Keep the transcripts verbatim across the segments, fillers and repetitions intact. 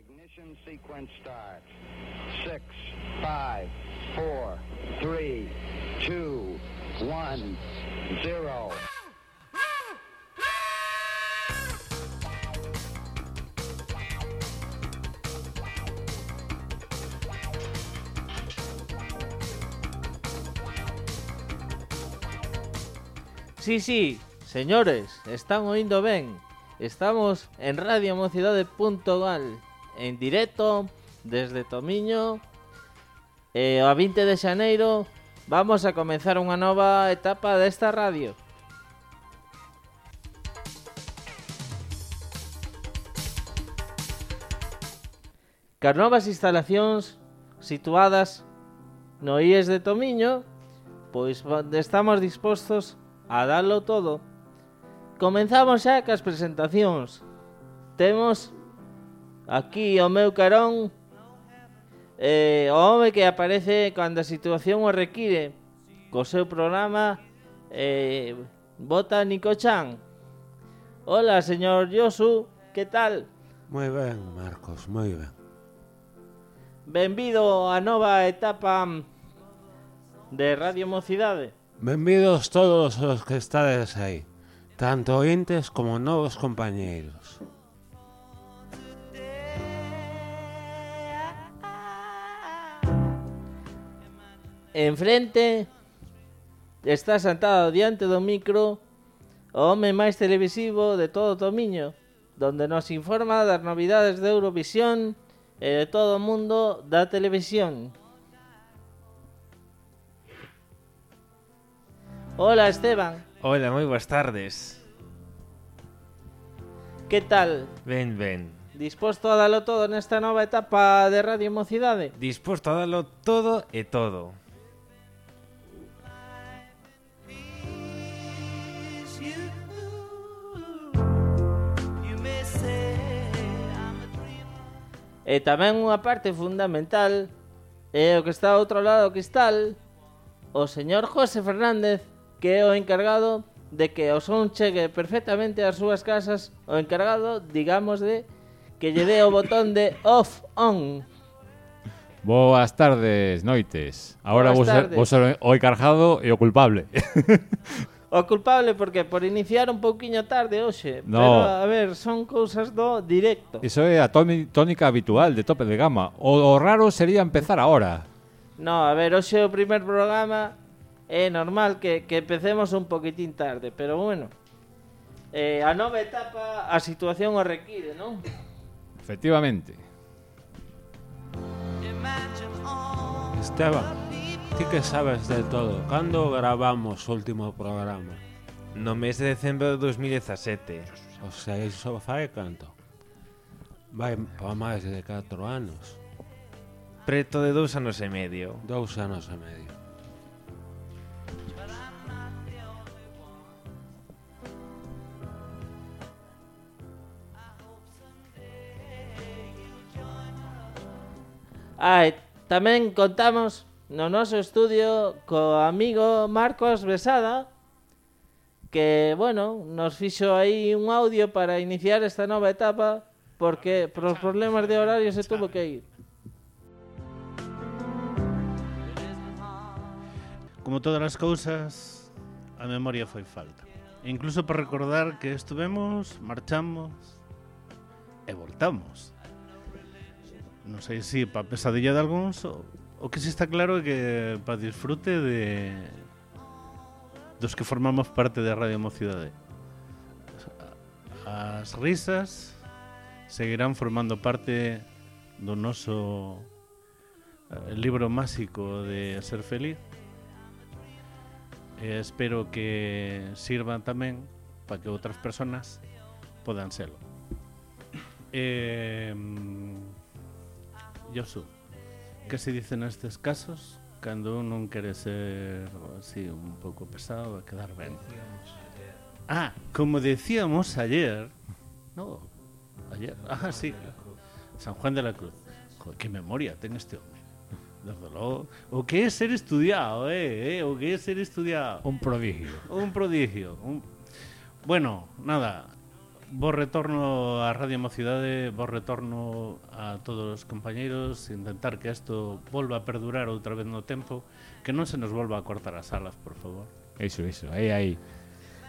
Ignition sequence starts. Six, five, four, three, two, one, zero. Sí, sí, señores, están oindo ben. Estamos en radio mocidade punto gal, en directo desde Tomiño. E a vinte de xaneiro vamos a comenzar unha nova etapa desta radio. Cas novas instalacións situadas no I E S de Tomiño, pois estamos dispostos a darlo todo. Comenzamos xa cas presentacións. Temos aquí o meu carón eh, o home que aparece cando a situación o require, co seu programa eh, Botánico-chan. Hola, señor Yosu, que tal? Moi ben, Marcos, moi ben. Benvido á nova etapa de Radio Mocidade. Benvidos todos os que estades aí, tanto ointes como novos compañeiros. Enfrente está sentado diante do micro o home máis televisivo de todo Tomiño, donde nos informa das novidades de Eurovisión e de todo o mundo da televisión. Hola, Esteban. Hola, moi boas tardes. Que tal? Ben, ben. Disposto a dalo todo nesta nova etapa de Radio Mocidade? Disposto a dalo todo e todo. E tamén unha parte fundamental é o que está ao outro lado do cristal, o señor José Fernández, que é o encargado de que o son chegue perfectamente ás súas casas, o encargado, digamos, de que lle dé o botón de off-on. Boas tardes, noites. Ahora vos ser, vos ser o encargado e o culpable. O culpable porque por iniciar un pouquiño tarde hoxe. No. Pero, a ver, son cousas do directo. Iso é a tónica habitual de Tope de Gama. O, o raro sería empezar ahora. No, a ver, hoxe o primer programa é normal que, que empecemos un poquitín tarde, pero bueno, eh, a nova etapa a situación o require, non? Efectivamente. Esteban, ti que sabes de todo, cando gravamos o último programa? No mes de decembro de dos mil dezasete. O sea, iso fai canto? Vai pa máis de catro anos. Preto de dous anos e medio. Dous anos e medio. Ah, e tamén contamos no noso estudio co amigo Marcos Besada, que, bueno, nos fixo aí un audio para iniciar esta nova etapa, porque por os problemas de horario se tuvo que ir. Como todas as cousas, a memoria foi falta. E incluso para recordar que estuvemos, marchamos e voltamos. Non sei se para pesadilla de algúns, o, o que si está claro é que para disfrute de dos que formamos parte da Radio Mocidade. As risas seguirán formando parte do noso eh, libro máxico de ser feliz. E espero que sirvan tamén para que outras personas podan serlo. Eh, Yosu, que se dice nestes casos cando un non quere ser así un pouco pesado e quedar ben? Ah, como decíamos ayer, no, ayer, ah, sí, San Juan de la Cruz. Joder, que memoria ten este home. Desde logo, o que é ser estudiado, eh, eh, o que é ser estudiado. Un prodigio. Un prodigio. Un... Bueno, nada, bo retorno a Radio Mocidade, bo retorno a todos os compañeiros, intentar que isto volva a perdurar outra vez no tempo, que non se nos volva a cortar as alas, por favor. Iso, iso, aí, aí.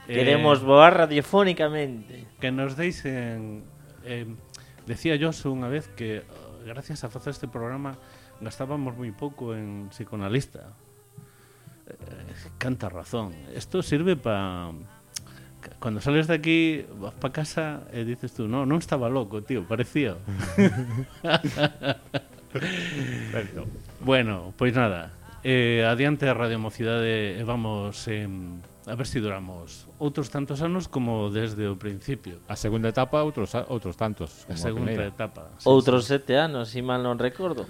Queremos eh, voar radiofónicamente. Que nos deixen... Eh, decía Josu unha vez que gracias a facer este programa gastábamos moi pouco en psicoanalista. Eh, canta razón. Isto sirve para... Cuando sales de aquí, vas para casa e dices tú, no, non estaba loco, tío, parecía. Bueno, pois nada, eh, adiante a Radio Mocidade e vamos eh, a ver se si duramos outros tantos anos como desde o principio. A segunda etapa, outros outros tantos. A segunda a etapa. Sí, outros sí. sete anos, se si mal non recordo.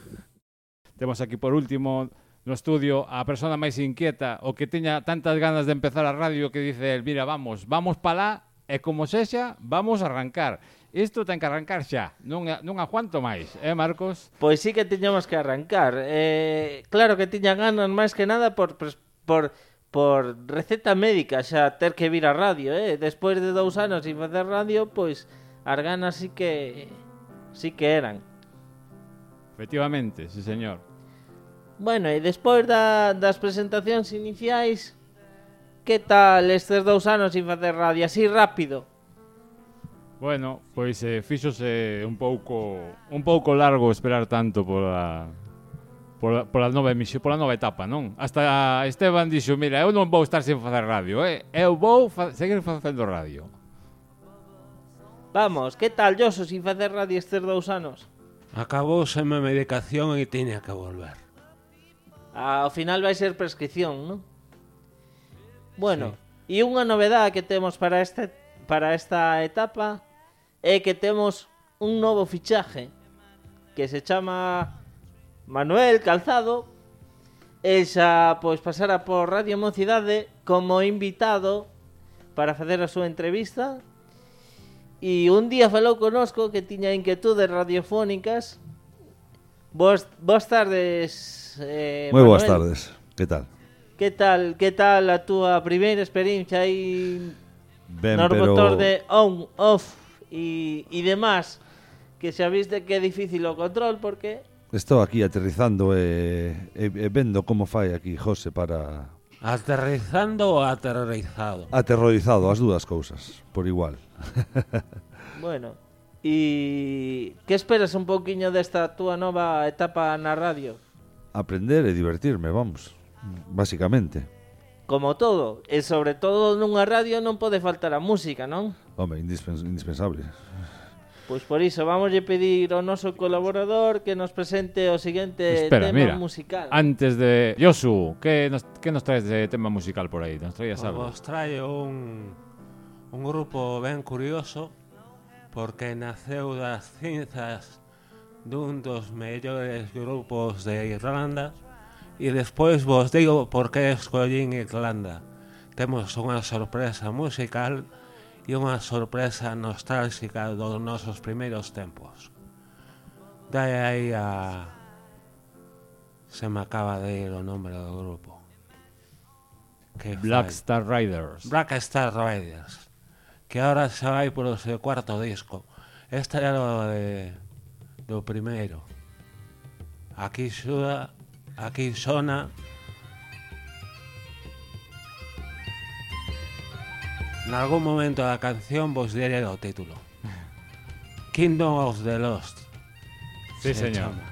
Temos aquí por último no estudio a persona máis inquieta, o que teña tantas ganas de empezar a radio que dice el, mira, vamos, vamos pa lá e como sexa, vamos a arrancar. Isto ten que arrancar xa, non, non aguanto máis, eh, Marcos? Pois sí que tiñamos que arrancar. Eh, claro que tiña ganas máis que nada por, por, por receta médica xa ter que vir a radio, eh? Despois de dous anos sin facer radio, pois as ganas sí que, sí que eran. Efectivamente, sí señor. Bueno, e despois da, das presentacións iniciais, que tal estes dous anos sin facer radio? Así rápido. Bueno, pois eh, fíxose un pouco un pouco largo esperar tanto pola pola, pola nova emisión, pola nova etapa, non? Hasta Esteban dixo, mira, eu non vou estar sin facer radio, eh? Eu vou fa- seguir facendo radio. Vamos, que tal, Josu, sin facer radio estes dous anos? Acabouse a medicación e tiña que volver. Ao final vai ser prescripción, non? Bueno, sí. E unha novedade que temos para este para esta etapa é que temos un novo fichaje que se chama Manuel Calzado e xa pois pasara por Radio Mocidade como invitado para facer a súa entrevista e un día falou conosco que tiña inquietudes radiofónicas. Boas, boas tardes. Eh, Moi boas tardes, que tal? Que tal, que tal a túa primeira experiencia aí Ben, nos pero... botón de on, off e, e demás, que xa viste que é difícil o control porque... Estou aquí aterrizando e, e, e vendo como fai aquí José para... Aterrizando ou aterrorizado? Aterrorizado, as dúas cousas, por igual. Bueno, e que esperas un pouquiño desta túa nova etapa na radio? Aprender e divertirme, vamos, basicamente. Como todo, e sobre todo nunha radio non pode faltar a música, non? Home, indispens- indispensable. Pois por iso vamos a pedir ao noso colaborador que nos presente o seguinte Espera, tema mira, musical. Antes de... Josu, que nos, que nos traes de tema musical por aí? Nos traías algo? Vos traio un, un grupo ben curioso porque naceu das cinzas dun dos mellores grupos de Irlanda e despois vos digo por que escollín Irlanda. Temos unha sorpresa musical e unha sorpresa nostálxica dos nosos primeiros tempos. Dai aí a... Se me acaba de ir o nome do grupo. Que Black fai? Star Riders. Black Star Riders, que ahora xa vai polo seu cuarto disco. Este era o de do primeiro. Aquí xuda, aquí sona nalgún momento da canción vos diré o título. Kingdom of the Lost. Sí, señor. Chama.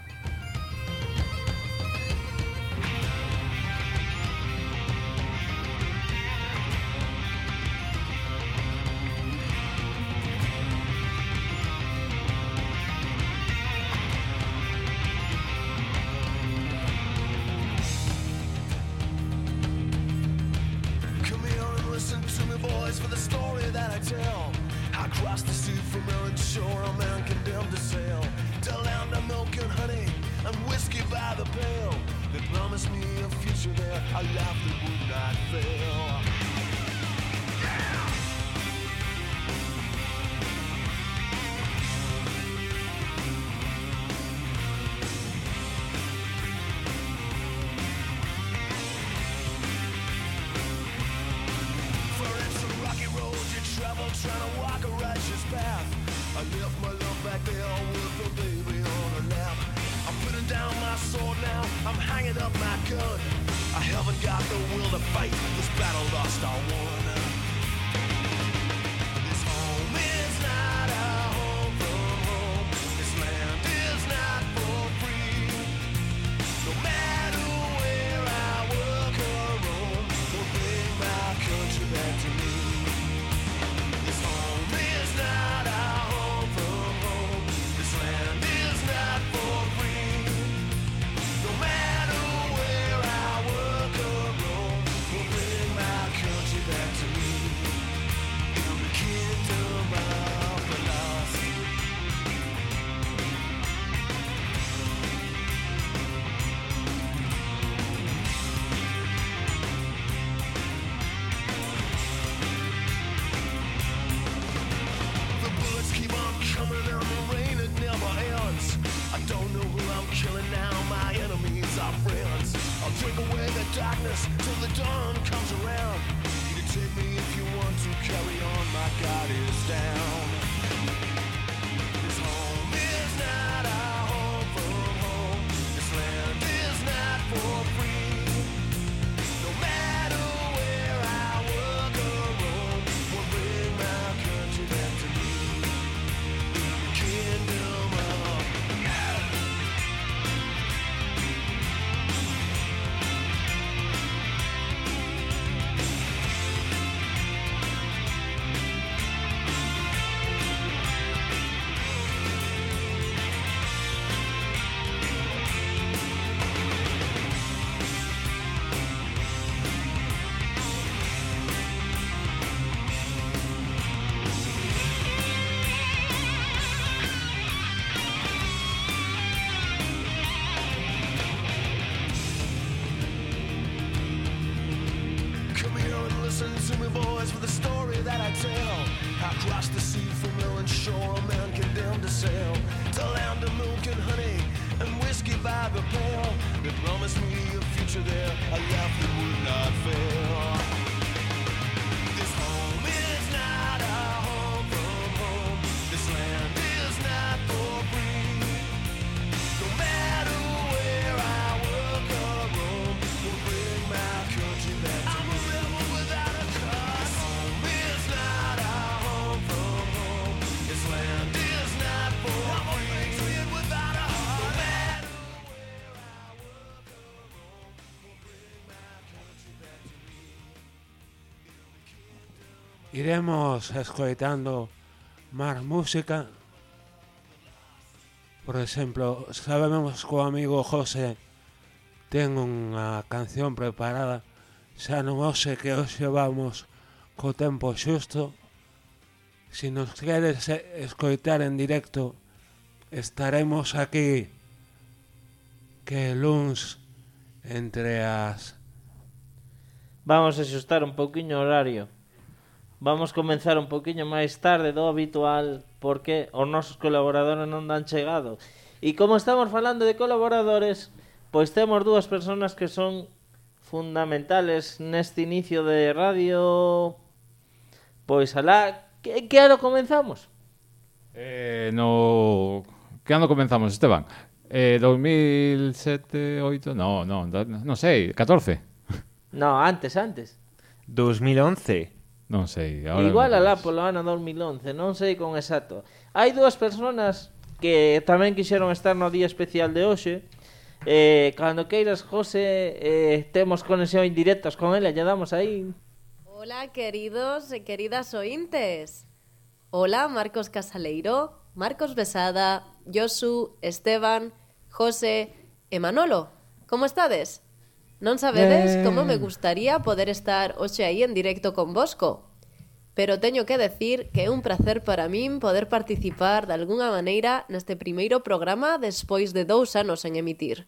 For the story that I tell, I crossed the sea from Aaron shore, a man condemned to sail to land of milk and honey. gun. I haven't got the will to fight this battle lost or won. This home is not a home from home. This land is not for free. No matter where I work or roam, will bring my country back to me. This home is not a home from home. This land is not for free. No matter where I work or roam, will bring my country back to me. In the kingdom of the lost. The bullets keep on coming and the rain, it never ends. I don't know who I'm killing now, my enemies are friends. I'll drink away the darkness till the dawn comes around. You can take me if you want to, carry on, my God is down. This home is not a home from home. This land is not for free. No matter where I work or roam, will bring my country back to me. In the kingdom of Come here and listen to me, boys, for the story that I tell. Across the sea from Ellen Shore, a man condemned to sail to land of milk and honey and whiskey by the pail. They promised me a future there, a life that would not fail. This home is not a home from home. This land is not for free. No matter where I work or roam, will bring my country back to me. I'm a rebel without a cause. Home is not a home from home. This land is not for free. I'm a patriot without a heart. No matter where I work or roam, will bring my country back to me. Iremos escoitando máis música. Por exemplo, sabemos que o amigo José ten unha canción preparada. Xa non hoxe que hoxe vamos co tempo xusto. Si nos queres eh, escoitar en directo, estaremos aquí que luns entre as... Vamos a xustar un pouquiño o horario. Vamos comenzar un pouquiño máis tarde do habitual porque os nosos colaboradores non dan chegado. E como estamos falando de colaboradores, pois temos dúas persoas que son fundamentales neste inicio de radio. Pois alá, que, que ano comenzamos? Eh, no... Que ano comenzamos, Esteban? Eh, dos mil sete, oito... No, no, non sei, catorce. No, antes, antes. dos mil once. Non sei. Ahora Igual non alá sei. polo ano dos mil once, non sei con exacto. Hai dúas persoas que tamén quixeron estar no día especial de hoxe. Eh, cando queiras, José, eh, temos conexión indirectas con ela, lle damos aí. Hola, queridos e queridas ointes. Hola, Marcos Casaleiro, Marcos Besada, Josu, Esteban, José e Manolo. Como estades? Non sabedes Eh. como me gustaría poder estar hoxe aí en directo con vosco. Pero teño que decir que é un placer para min poder participar de algunha maneira neste primeiro programa despois de dous anos en emitir.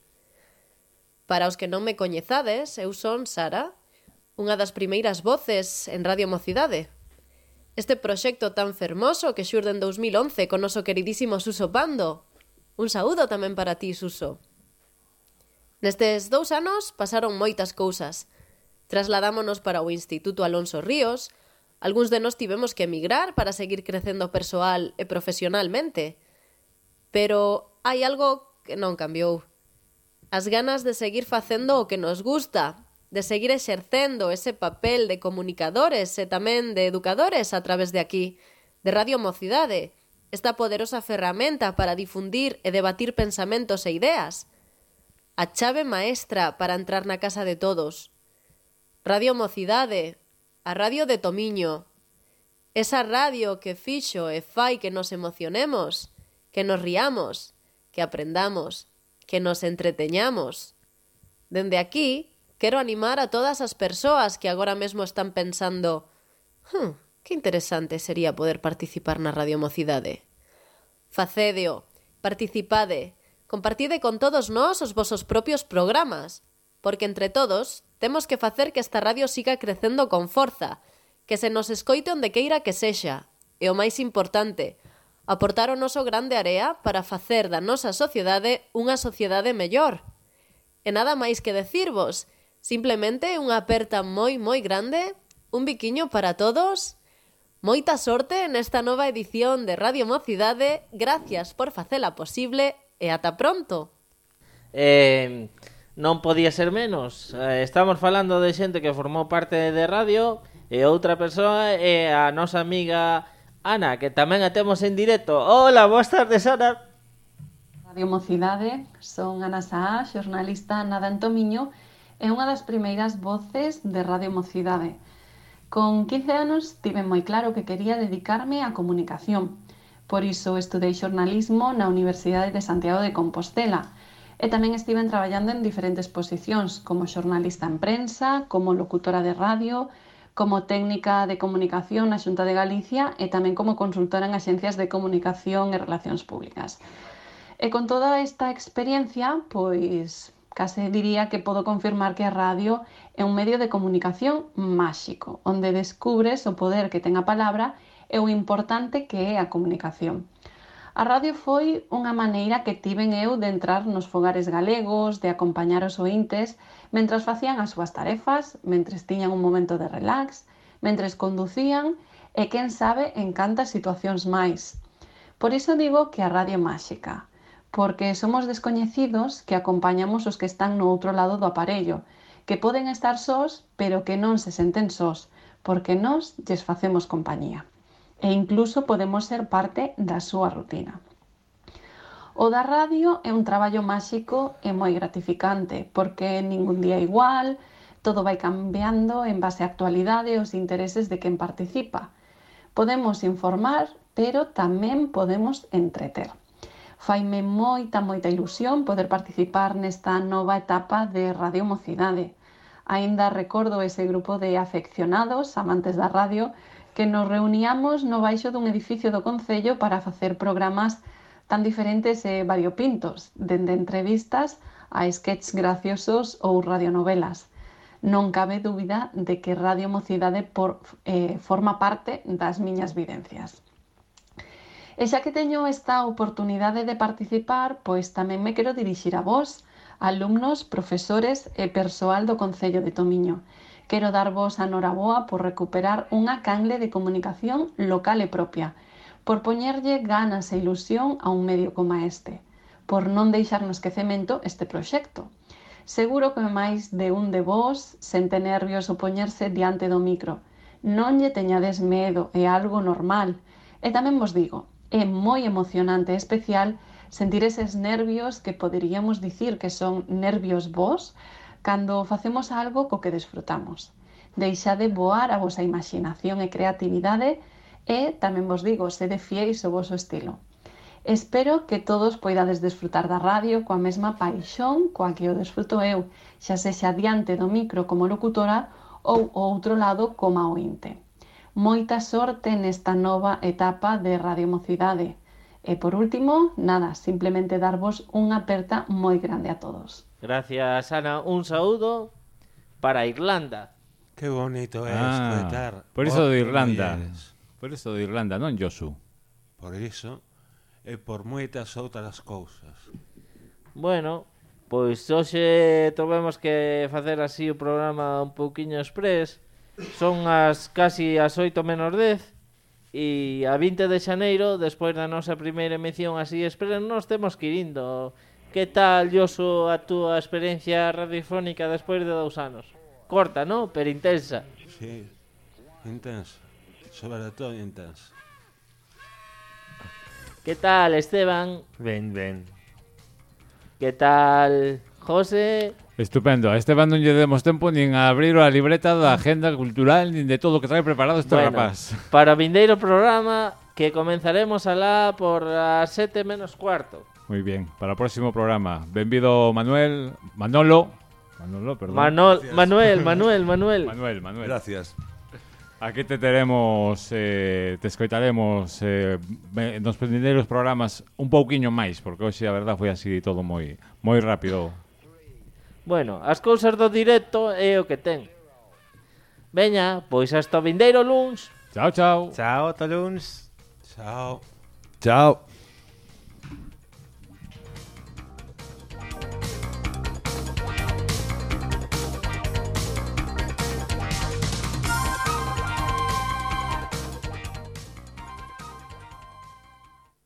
Para os que non me coñezades, eu son Sara, unha das primeiras voces en Radio Mocidade. Este proxecto tan fermoso que xurde en dos mil once con noso queridísimo Suso Pando. Un saúdo tamén para ti, Suso. Nestes dous anos pasaron moitas cousas. Trasladámonos para o Instituto Alonso Ríos, algúns de nós tivemos que emigrar para seguir crecendo persoal e profesionalmente. Pero hai algo que non cambiou. as ganas de seguir facendo o que nos gusta, de seguir exercendo ese papel de comunicadores e tamén de educadores a través de aquí, de Radio Mocidade, esta poderosa ferramenta para difundir e debatir pensamentos e ideas. A chave maestra para entrar na casa de todos. Radio Mocidade, a radio de Tomiño. Esa radio que fixo e fai que nos emocionemos, que nos riamos, que aprendamos, que nos entreteñamos. Dende aquí, quero animar a todas as persoas que agora mesmo están pensando «Hm, que interesante sería poder participar na Radio Mocidade». Facédeo, participade, compartide con todos nós os vosos propios programas, porque entre todos temos que facer que esta radio siga crecendo con forza, que se nos escoite onde queira que sexa, e o máis importante, aportar o noso grande area para facer da nosa sociedade unha sociedade mellor. E nada máis que decirvos, simplemente unha aperta moi moi grande, un biquiño para todos. Moita sorte nesta nova edición de Radio Mocidade, gracias por facela posible e ata pronto. Eh, non podía ser menos. Eh, estamos falando de xente que formou parte de radio e outra persoa é a nosa amiga Ana, que tamén a temos en directo. Hola, boas tardes, Ana. Radio Mocidade, son Ana Saá, xornalista nada en Tomiño e unha das primeiras voces de Radio Mocidade. Con quince anos tive moi claro que quería dedicarme á comunicación. Por iso estudei xornalismo na Universidade de Santiago de Compostela e tamén estiven traballando en diferentes posicións como xornalista en prensa, como locutora de radio, como técnica de comunicación na Xunta de Galicia e tamén como consultora en axencias de comunicación e relacións públicas. E con toda esta experiencia, pois case diría que podo confirmar que a radio é un medio de comunicación máxico, onde descubres o poder que ten a palabra e o importante que é a comunicación. A radio foi unha maneira que tiven eu de entrar nos fogares galegos, de acompañar os ointes mentras facían as súas tarefas, mentres tiñan un momento de relax, mentres conducían e, quen sabe, en cantas situacións máis. Por iso digo que a radio é máxica, porque somos descoñecidos que acompañamos os que están no outro lado do aparello, que poden estar sós, pero que non se senten sós, porque nós lles facemos compañía. E incluso podemos ser parte da súa rutina. O da radio é un traballo máxico e moi gratificante, porque ningún día é igual, todo vai cambiando en base á actualidade e os intereses de quen participa. Podemos informar, pero tamén podemos entreter. Faime moita, moita ilusión poder participar nesta nova etapa de Radio Mocidade. Aínda recordo ese grupo de afeccionados, amantes da radio, que nos reuníamos no baixo dun edificio do Concello para facer programas tan diferentes e variopintos, dende entrevistas a sketches graciosos ou radionovelas. Non cabe dúbida de que Radio Mocidade por, eh, forma parte das miñas vivencias. E xa que teño esta oportunidade de participar, pois tamén me quero dirixir a vós, alumnos, profesores e persoal do Concello de Tomiño. Quero darvos a noraboa por recuperar unha canle de comunicación local e propia, por poñerlle ganas e ilusión a un medio como este, por non deixar no esquecemento este proxecto. Seguro que máis de un de vós sente nervios o poñerse diante do micro. Non lle teñades medo, é algo normal. E tamén vos digo, é moi emocionante e especial sentir eses nervios que poderíamos dicir que son nervios vos, cando facemos algo co que desfrutamos. Deixade voar a vosa imaginación e creatividade e, tamén vos digo, sede fiéis ao voso estilo. Espero que todos poidades desfrutar da radio coa mesma paixón coa que o desfruto eu, xa sexa diante do micro como locutora ou ao outro lado como ointe. Moita sorte nesta nova etapa de Radio Mocidade. E por último, nada, simplemente darvos unha aperta moi grande a todos. Gracias, Ana. Un saúdo para Irlanda. Qué bonito é Ah, escoitar. por iso de outros Irlanda. mulleres. Por iso de Irlanda, non Josu. Por iso e por moitas outras cousas. Bueno, pois hoxe tovemos que facer así o programa un pouquiño express. Son as casi as oito menos dez e a vinte de xaneiro, despois da nosa primeira emisión así express, nos temos que ir indo. que tal, Yoso, a túa experiencia radiofónica despois de dous anos? Corta, ¿no? Pero intensa. Sí, intensa. Sobre todo intensa. Que tal, Esteban? Ben, ben. Que tal, José? Estupendo. A Esteban non lle demos tempo nin a abrir a libreta da agenda cultural nin de todo o que trae preparado este Bueno, rapaz. para o vindeiro programa que comenzaremos alá por as sete menos cuarto. Moi bien, para o próximo programa. Benvido Manuel, Manolo. Manolo, perdón. Manol, Manuel, Manuel, Manuel. Manuel, Manuel. Gracias. Aquí te teremos, eh, te escoitaremos eh, nos vindeiros programas un pouquiño máis, porque hoxe a verdad foi así todo moi moi rápido. Bueno, as cousas do directo é o que ten. Veña, pois hasta o vindeiro luns. Chao, chao. Chao, ata luns. Chao. Chao.